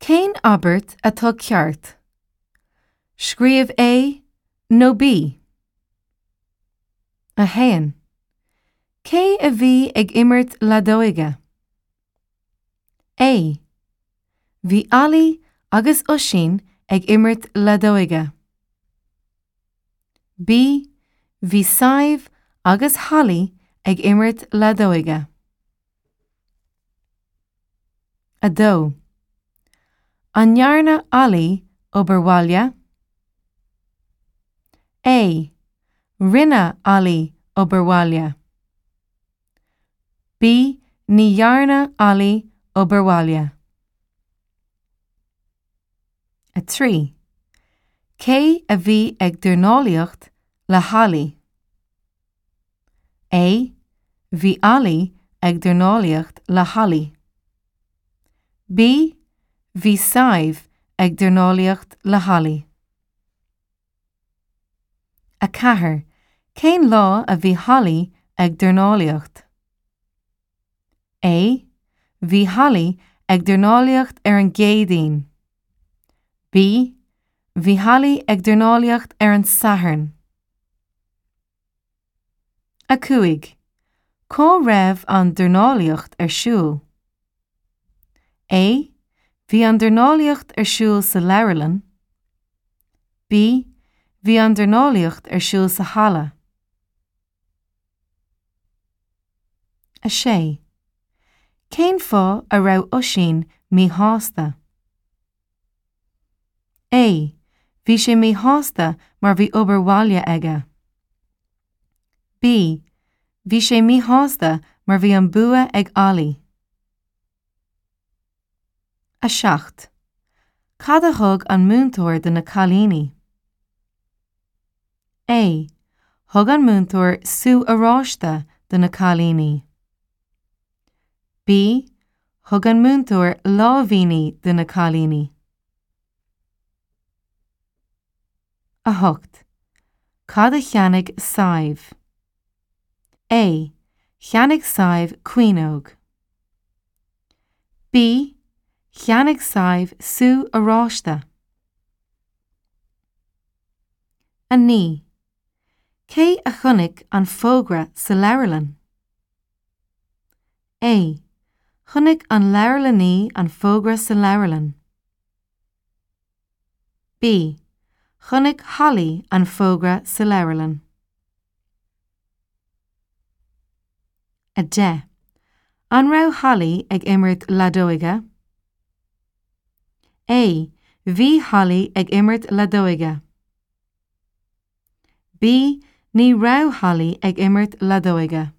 Cén abairt atá ceart? Scríobh A nó B. 1. Cé a bhí ag imirt leadóige? A. Bhí Ollie agus Oisín ag imirt leadóige. B. Bhí Sadhbh agus Holly ag imirt leadóige. 2. An ndearna Ollie obair bhaile? A. Rinne Ollie obair bhaile. B. Ní dhearna Ollie obair bhaile. 3. Cé a bhí ag dornálaíocht le hOllie? A. Bhí Ollie ag dornálaíocht le Holly. B. Bhí Sadhbh ag dornálaíocht le Holly. 4. Cén lá a bhí Holly ag dornálaíocht? A. Bhí Holly ag dornálaíocht ar an gCéadaoin. B. Bhí Holly ag dornálaíocht ar an Satharn. 5. Cá raibh an dornálaíocht ar siúl? A. Bhí an dornálaíocht ar siúl sa leabharlann. B. Bhí an dornálaíocht ar siúl sa halla. 6. Cén fáth a raibh Oisín míshásta? A. Bhí sé míshásta mar bhí obair bhaile aige. B. Bhí sé míshásta mar bhí an bua ag Ollie. 7. Cad a thug an múinteoir do na cailíní? A. Thug an múinteoir sú oráiste do na cailíní. B. Thug an múinteoir láimhíní do na cailíní. 8. Cad a cheannaigh Sadhbh? A. Cheannaigh Sadhbh caoineog. B. Cheannaigh Sadhbh sú oráiste. 9. Cé a chonaic an fógra sa leabharlann? A. Chonaic an leabharlannaí an fógra sa leabharlann. B. Chonaic Holly an fógra sa leabharlann. 10. An raibh Holly ag imirt leadóige? A. Bhí Holly ag imirt leadóige. B. Ní raibh Holly ag imirt leadóige.